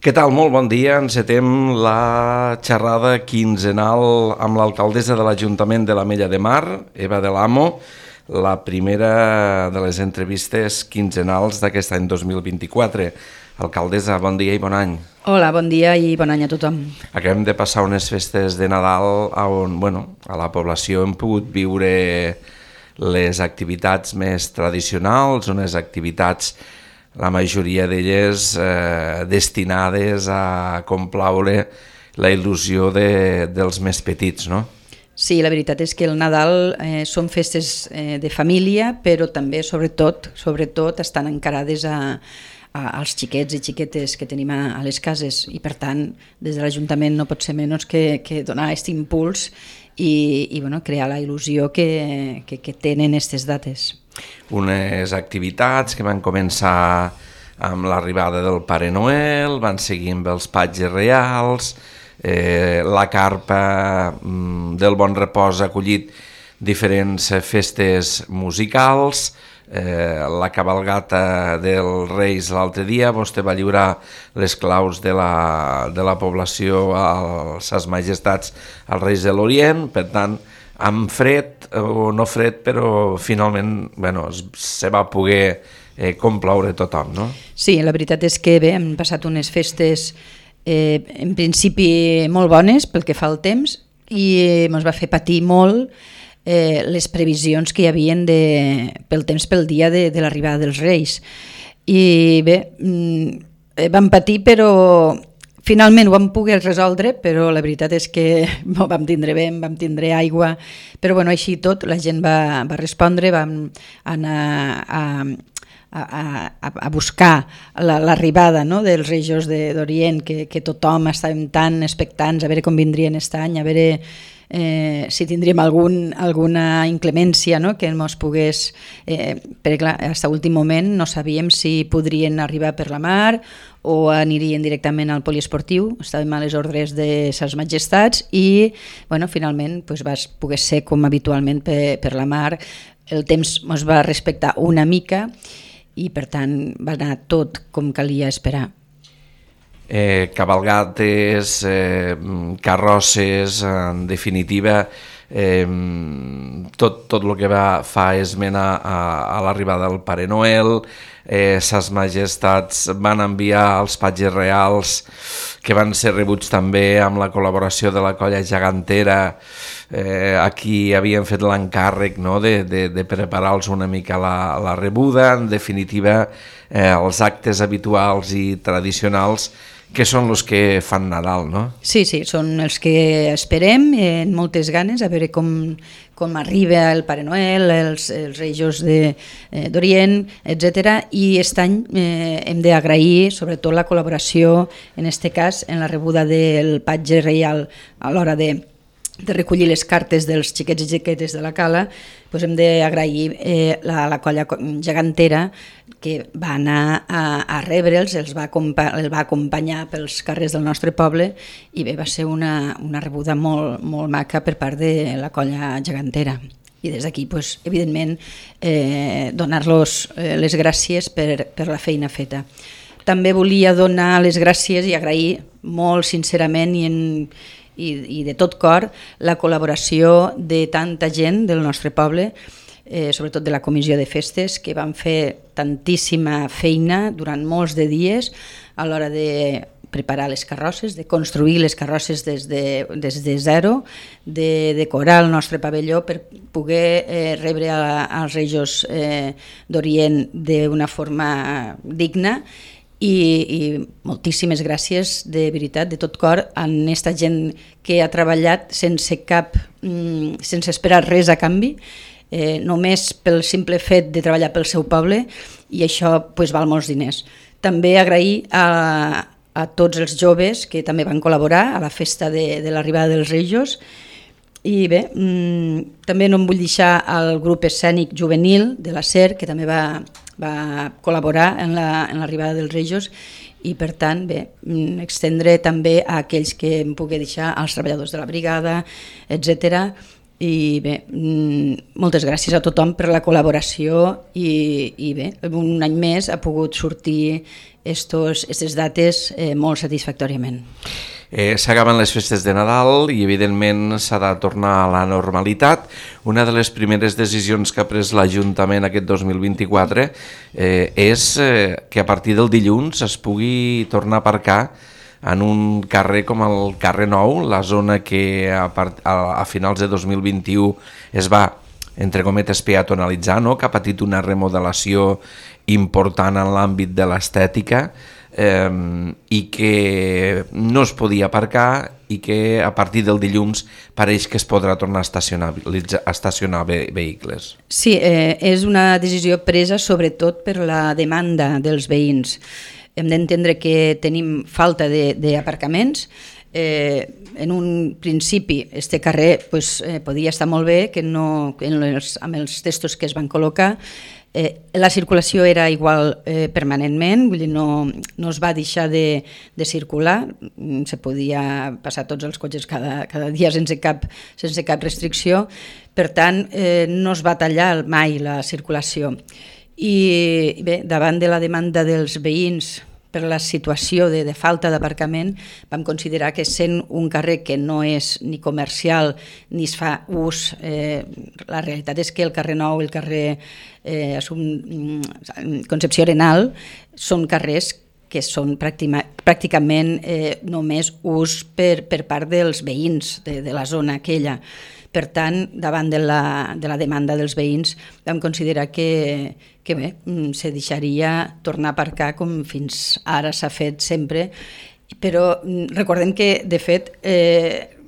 Què tal? Molt bon dia. Encetem la xerrada quinzenal amb l'alcaldessa de l'Ajuntament de l'Ametlla de Mar, Eva de l'Amo, la primera de les entrevistes quinzenals d'aquest any 2024. Alcaldessa, bon dia i bon any. Hola, bon dia i bon any a tothom. Acabem de passar unes festes de Nadal on, a la població hem pogut viure les activitats més tradicionals, unes activitats, la majoria d'elles destinades a complaure la il·lusió dels més petits, no? Sí, la veritat és que el Nadal són festes de família, però també, sobretot, estan encarades als xiquets i xiquetes que tenim a les cases i, per tant, des de l'Ajuntament no pot ser menys que donar aquest impuls i crear la il·lusió que tenen aquestes dates. Unes activitats que van començar amb l'arribada del Pare Noel, van seguir amb els patges reals, la carpa del Bon Repòs ha acollit diferents festes musicals, la cabalgata dels Reis l'altre dia, vostè va lliurar les claus de la població a ses majestats als Reis de l'Orient, per tant, amb fred o no fred, però finalment se va poder complaure tothom, no? Sí, la veritat és que bé, hem passat unes festes en principi molt bones pel que fa al temps i ens va fer patir molt les previsions que hi havien pel temps pel dia de l'arribada dels Reis. I bé, vam patir, però finalment ho vam poder resoldre, però la veritat és que vam tindre vent, vam tindre aigua, però així tot la gent va respondre, vam anar a buscar l'arribada dels Reis d'Orient, que tothom estàvem tan expectants a veure com vindrien aquest any, a veure si tindríem alguna inclemència que ens pogués, perquè clar, fins a l'últim moment no sabíem si podrien arribar per la mar o anirien directament al poliesportiu, estàvem a les ordres de ses majestats i finalment va poder ser com habitualment per la mar. El temps ens va respectar una mica i per tant va anar tot com calia esperar. Cabalgates, carrosses, en definitiva, tot el que fa esment a l'arribada del Pare Noel. Ses majestats van enviar els patges reals que van ser rebuts també amb la col·laboració de la colla gegantera, a qui havien fet l'encàrrec de preparar-los una mica la rebuda. En definitiva, els actes habituals i tradicionals que són els que fan Nadal, no? Sí, són els que esperem amb moltes ganes, a veure com arriba el Pare Noel, els Reis d'Orient, etc. I aquest any hem d'agrair sobretot la col·laboració, en aquest cas, en la rebuda del patge reial a l'hora de recollir les cartes dels xiquets i xiquetes de la cala. Hem d'agrair la colla gegantera que va anar a rebre'ls, el va acompanyar pels carrers del nostre poble i bé, va ser una rebuda molt, molt maca per part de la colla gegantera. I des d'aquí, evidentment, donar-los les gràcies per la feina feta. També volia donar les gràcies i agrair molt sincerament i de tot cor la col·laboració de tanta gent del nostre poble, sobretot de la comissió de festes, que van fer tantíssima feina durant molts de dies a l'hora de preparar les carrosses, de construir les carrosses des de zero, de decorar el nostre pavelló per poder rebre als Reis d'Orient d'una forma digna. I moltíssimes gràcies, de veritat, de tot cor, a aquesta gent que ha treballat sense esperar res a canvi, només pel simple fet de treballar pel seu poble, i això val molts diners. També agrair a tots els joves que també van col·laborar a la festa de l'arribada dels Reis. I bé, també no em vull deixar el grup escènic juvenil de la SER, que també va col·laborar en l'arribada dels Reis, i per tant, bé, extendre també a aquells que em pugui deixar, als treballadors de la brigada, etc., I bé, moltes gràcies a tothom per la col·laboració i bé, un any més ha pogut sortir aquestes dates molt satisfactòriament. S'acaben les festes de Nadal i evidentment s'ha de tornar a la normalitat. Una de les primeres decisions que ha pres l'Ajuntament aquest 2024 és que a partir del dilluns es pugui tornar a aparcar en un carrer com el carrer Nou, la zona que a finals de 2021 es va, entre cometes, peatonalitzar, no? Que ha patit una remodelació important en l'àmbit de l'estètica, i que no es podia aparcar i que a partir del dilluns pareix que es podrà tornar a estacionar vehicles. Sí, és una decisió presa sobretot per la demanda dels veïns. Hem d'entendre que tenim falta d'aparcaments. En un principi este carrer podia estar molt bé, que no, amb els textos que es van col·locar la circulació era igual permanentment, vull dir, no es va deixar de circular, se podia passar tots els cotxes cada dia sense cap restricció, per tant no es va tallar mai la circulació. I bé, davant de la demanda dels veïns per la situació de falta d'aparcament, vam considerar que sent un carrer que no és ni comercial ni es fa ús, la realitat és que el carrer Nou i el carrer Concepció Arenal són carrers que són pràcticament només ús per part dels veïns de la zona aquella. Per tant, davant de la demanda dels veïns, vam considerar que bé, se deixaria tornar a aparcar com fins ara s'ha fet sempre, però recordem que, de fet,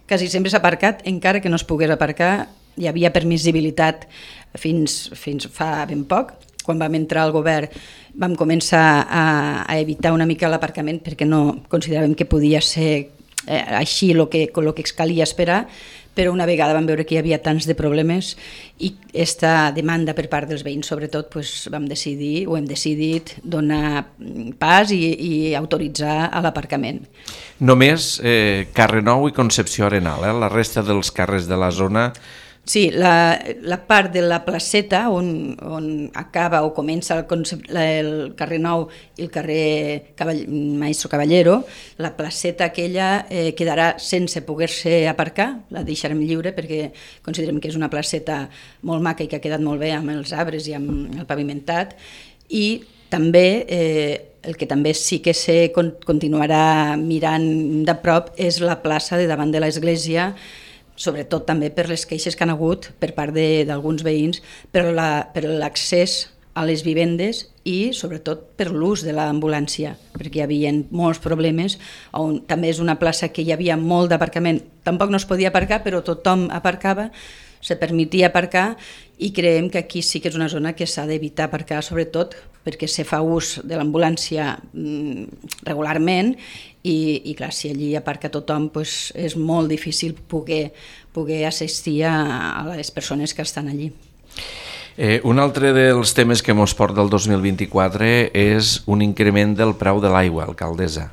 quasi sempre s'ha aparcat, encara que no es pogués aparcar, hi havia permissibilitat fins fa ben poc. Quan vam entrar al govern vam començar a evitar una mica l'aparcament perquè no consideràvem que podia ser així el que calia esperar, però una vegada vam veure que hi havia tants de problemes i aquesta demanda per part dels veïns, sobretot, hem decidit donar pas i autoritzar a l'aparcament. Només carrer Nou i Concepció Arenal, la resta dels carrers de la zona... Sí, la part de la placeta on acaba o comença el carrer Nou i el carrer Maestro Caballero, la placeta aquella quedarà sense poder-se aparcar, la deixarem lliure perquè considerem que és una placeta molt maca i que ha quedat molt bé amb els arbres i amb el pavimentat, i també el que també sí que se continuarà mirant de prop és la plaça de davant de l'església, sobretot també per les queixes que han hagut per part d'alguns veïns per l'accés a les vivendes i sobretot per l'ús de l'ambulància, perquè hi havia molts problemes, on també és una plaça que hi havia molt d'aparcament, tampoc no es podia aparcar, però tothom aparcava, se permetia aparcar, i creiem que aquí sí que és una zona que s'ha d'evitar aparcar, sobretot perquè se fa ús de l'ambulància regularment i clar, si allí aparca tothom és molt difícil poder assistir a les persones que estan allí. Un altre dels temes que ens porta el 2024 és un increment del preu de l'aigua, alcaldessa.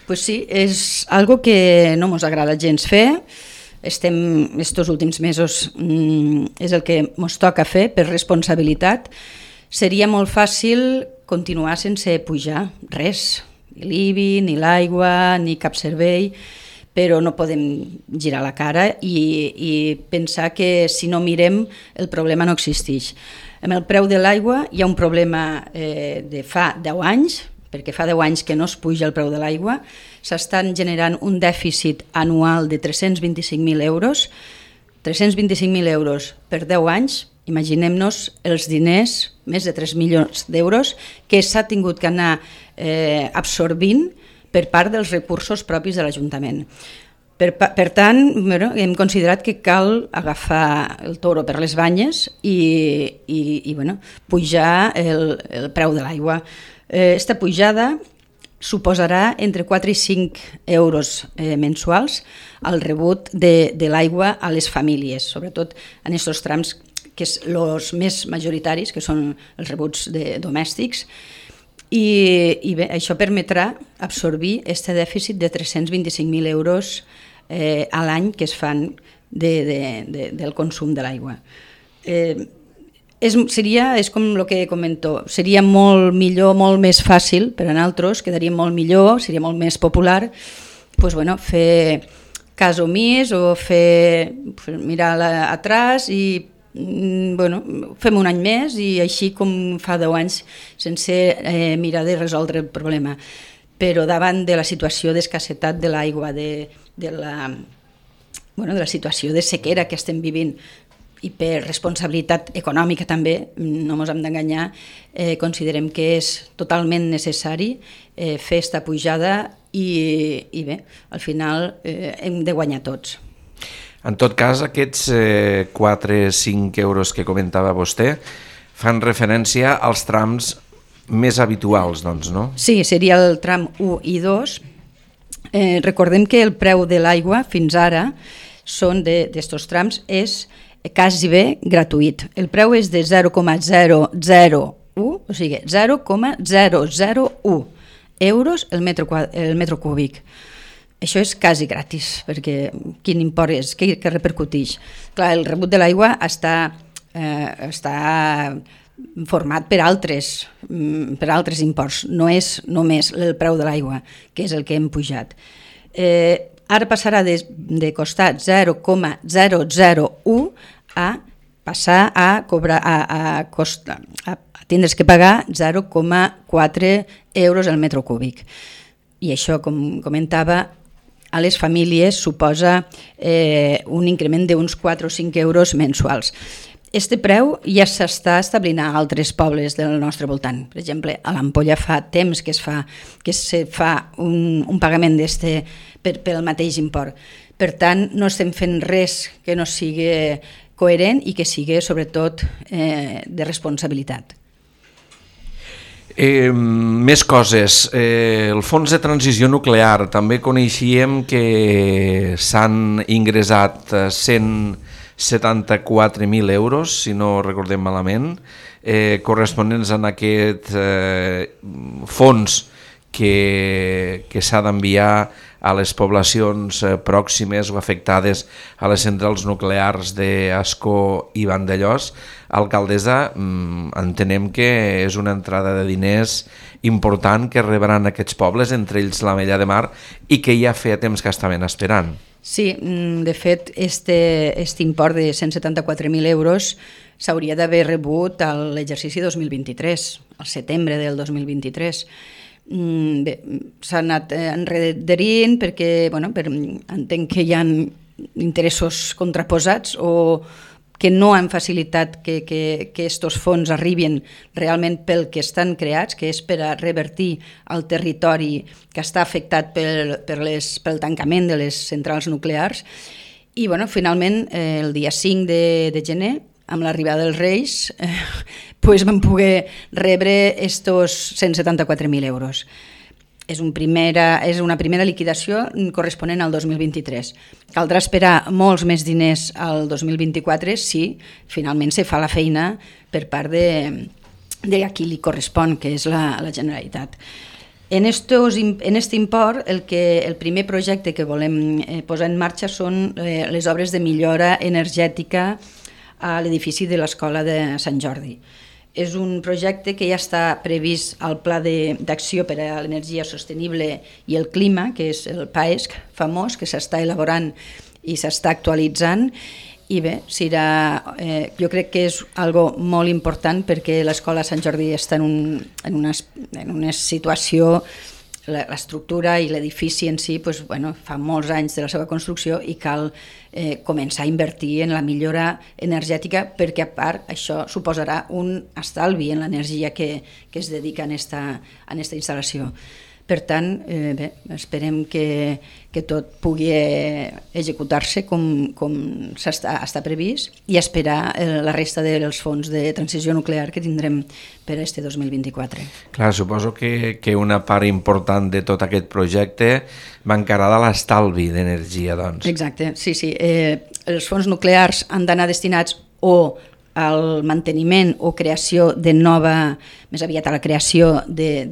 Pues sí, és algo que no ens agrada gens fer. Estos últims mesos és el que ens toca fer per responsabilitat. Seria molt fàcil continuar sense pujar res, ni l'IBI, ni l'aigua, ni cap servei, però no podem girar la cara i pensar que si no mirem el problema no existeix. Amb el preu de l'aigua hi ha un problema de fa 10 anys, perquè fa 10 anys que no es puja el preu de l'aigua, s'estan generant un dèficit anual de 325.000 euros, 325.000 euros per 10 anys, imaginem-nos els diners, més de 3 milions d'euros, que s'ha tingut que anar absorbint per part dels recursos propis de l'Ajuntament. Per tant, hem considerat que cal agafar el toro per les banyes i pujar el preu de l'aigua. Aquesta pujada suposarà entre 4 i 5 euros mensuals al rebut de l'aigua a les famílies, sobretot en aquests trams que són els més majoritaris, que són els rebuts domèstics, i bé, això permetrà absorbir aquest dèficit de 325.000 euros a l'any que es fan del consum de l'aigua. És com el que comento, seria molt millor, molt més fàcil per a nosaltres, quedaria molt millor, seria molt més popular, fer cas omís o mirar atrás i fem un any més i així com fa 10 anys sense mirar de resoldre el problema. Però davant de la situació d'escassetat de l'aigua, de la situació de sequera que estem vivint i per responsabilitat econòmica també, no ens hem d'enganyar, considerem que és totalment necessari fer esta pujada i bé, al final hem de guanyar tots. En tot cas, aquests 4-5 euros que comentava vostè fan referència als trams més habituals, doncs, no? Sí, seria el tram 1 i 2. Recordem que el preu de l'aigua fins ara són d'estos trams és quasi bé gratuït. El preu és de 0,001, o sigui, 0,001 euros el metro cúbic. Això és quasi gratis, perquè quin import és, què repercuteix? Clar, el rebut de l'aigua està format per altres imports, no és només el preu de l'aigua, que és el que hem pujat. Ara passarà de costar 0,001 a passar a tindre's que pagar 0,4 euros el metro cúbic. I això, com comentava, a les famílies suposa un increment d'uns 4 o 5 euros mensuals. Este preu ja s'està establint a altres pobles del nostre voltant. Per exemple, a l'Ampolla fa temps que se fa un pagament pel mateix import. Per tant, no estem fent res que no sigui coherent i que sigui, sobretot, de responsabilitat. Més coses. El fons de transició nuclear, també coneixíem que s'han ingressat 174.000 euros, si no recordem malament, corresponents a aquest fons que s'ha d'enviar a les poblacions pròximes o afectades a les centrals nuclears d'Ascó i Vandellòs. Alcaldessa, entenem que és una entrada de diners important que rebran aquests pobles, entre ells l'Ametlla de Mar, i que ja feia temps que estaven esperant. Sí, de fet, este import de 174.000 euros s'hauria d'haver rebut a l'exercici 2023, al setembre del 2023. Bé, s'ha anat enredarint perquè entenc que hi ha interessos contraposats o que no han facilitat que estos fons arribin realment pel que estan creats, que és per a revertir el territori que està afectat pel tancament de les centrals nuclears. I finalment, el dia 5 de gener, amb l'arribada dels Reis, vam poder rebre estos 174.000 euros. És una primera liquidació corresponent al 2023. Caldrà esperar molts més diners al 2024 si finalment se fa la feina per part de qui li correspon, que és la Generalitat. En este import, el primer projecte que volem posar en marxa són les obres de millora energètica a l'edifici de l'Escola de Sant Jordi. És un projecte que ja està previst al Pla d'Acció per a l'Energia Sostenible i el Clima, que és el PAESC famós, que s'està elaborant i s'està actualitzant. I bé, jo crec que és algo molt important perquè l'Escola Sant Jordi està en una situació, l'estructura i l'edifici en si fa molts anys de la seva construcció i cal començar a invertir en la millora energètica perquè a part això suposarà un estalvi en l'energia que es dedica a esta instal·lació. Per tant, esperem que tot pugui executar-se com està previst i esperar la resta dels fons de transició nuclear que tindrem per a este 2024. Clar, suposo que una part important de tot aquest projecte va encarada a l'estalvi d'energia, doncs. Exacte, sí. Els fons nuclears han d'anar destinats o al manteniment o creació de més aviat a la creació de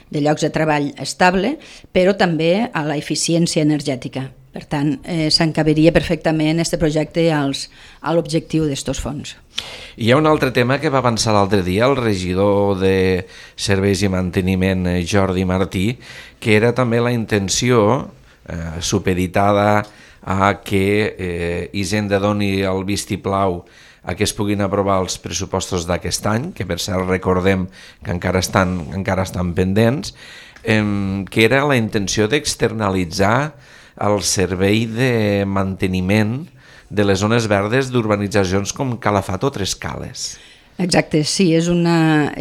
llocs de treball estable, però també a la eficiència energètica, Per tant, s'encaberia perfectament aquest projecte a l'objectiu d'estos fons. Hi ha un altre tema que va avançar l'altre dia el regidor de Serveis i Manteniment, Jordi Martí, que era també la intenció supeditada a que Hisenda doni el vistiplau a que es puguin aprovar els pressupostos d'aquest any, que per cert recordem que encara estan pendents, que era la intenció d'externalitzar el servei de manteniment de les zones verdes d'urbanitzacions com Calafat o Tres Cales. Exacte, sí, és una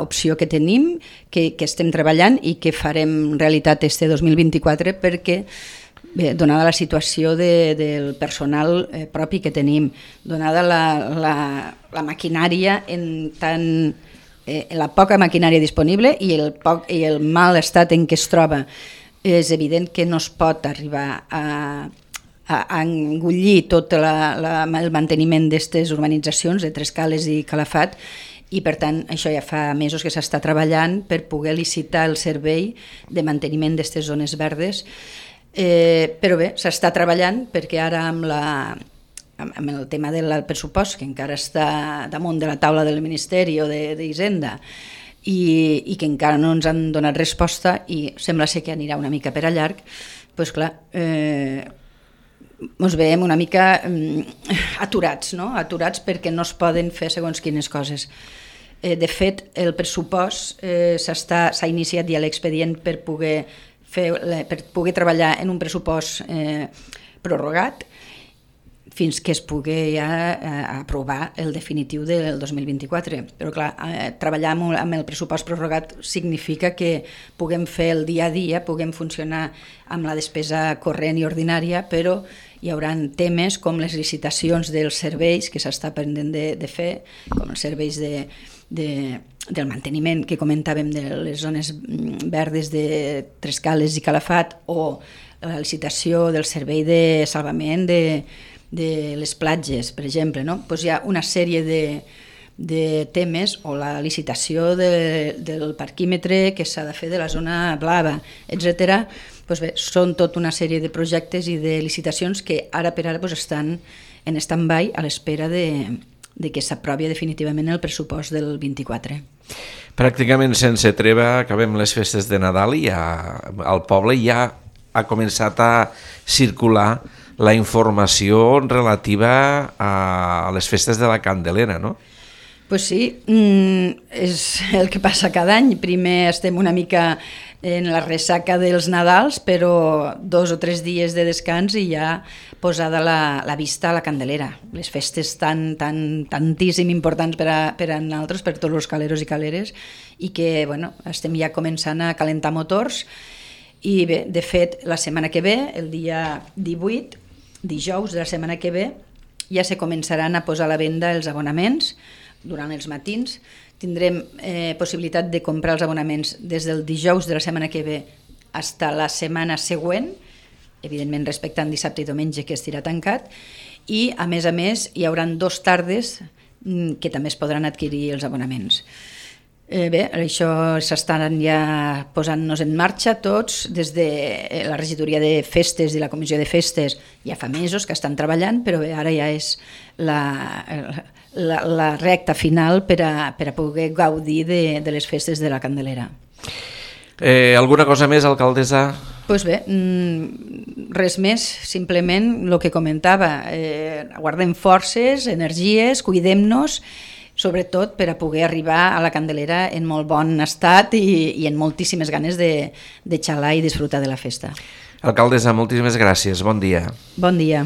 opció que tenim, que estem treballant i que farem realitat este 2024 perquè, bé, donada la situació del personal propi que tenim, donada la maquinària la poca maquinària disponible i el mal estat en què es troba, és evident que no es pot arribar a engullir tot el manteniment d'aquestes urbanitzacions de Tres Cales i Calafat, i per tant això ja fa mesos que s'està treballant per poder licitar el servei de manteniment d'aquestes zones verdes, però bé, s'està treballant perquè ara amb el tema del pressupost, que encara està damunt de la taula del Ministeri o d'Hisenda, i que encara no ens han donat resposta i sembla ser que anirà una mica per a llarg, doncs clar, ens veiem una mica aturats, no? Aturats perquè no es poden fer segons quines coses. De fet, el pressupost s'ha iniciat ja l'expedient per poder treballar en un pressupost prorrogat fins que es pugui ja aprovar el definitiu del 2024. Però clar, treballar amb el pressupost prorrogat significa que puguem fer el dia a dia, puguem funcionar amb la despesa corrent i ordinària, però hi haurà temes com les licitacions dels serveis que s'està pendent de fer, com els serveis del manteniment que comentàvem de les zones verdes de Tres Cales i Calafat, o la licitació del servei de salvament de les platges, per exemple, no? Doncs hi ha una sèrie de temes, o la licitació del parquímetre que s'ha de fer de la zona blava, etc. Doncs bé, són tota una sèrie de projectes i de licitacions que ara per ara estan en stand-by a l'espera de que s'aprovi definitivament el pressupost del 24. Pràcticament sense treva acabem les festes de Nadal i al poble ja ha començat a circular la informació relativa a les festes de la Candelera, no? Pues sí, és el que passa cada any. Primer estem una mica en la ressaca dels Nadals, però 2 o 3 dies de descans i ja posada la vista a la Candelera. Les festes tantíssim importants per a nosaltres, per tots els caleros i caleres, i que estem ja començant a calentar motors. I bé, de fet, la setmana que ve, el dia 18, dijous de la setmana que ve, ja se començaran a posar a la venda els abonaments durant els matins. Tindrem possibilitat de comprar els abonaments des del dijous de la setmana que ve fins a la setmana següent, evidentment respectant dissabte i diumenge que estirà tancat, i a més hi haurà 2 tardes que també es podran adquirir els abonaments. Bé, això s'estan ja posant-nos en marxa tots, des de la regidoria de festes i la comissió de festes ja fa mesos que estan treballant, però bé, ara ja és la recta final per a poder gaudir de les festes de la Candelera. Alguna cosa més, alcaldessa? Doncs bé, res més, simplement el que comentava, guardem forces, energies, cuidem-nos, sobretot per a poder arribar a la Candelera en molt bon estat i en moltíssimes ganes de xalar i disfrutar de la festa. Alcaldessa, moltíssimes gràcies, bon dia. Bon dia.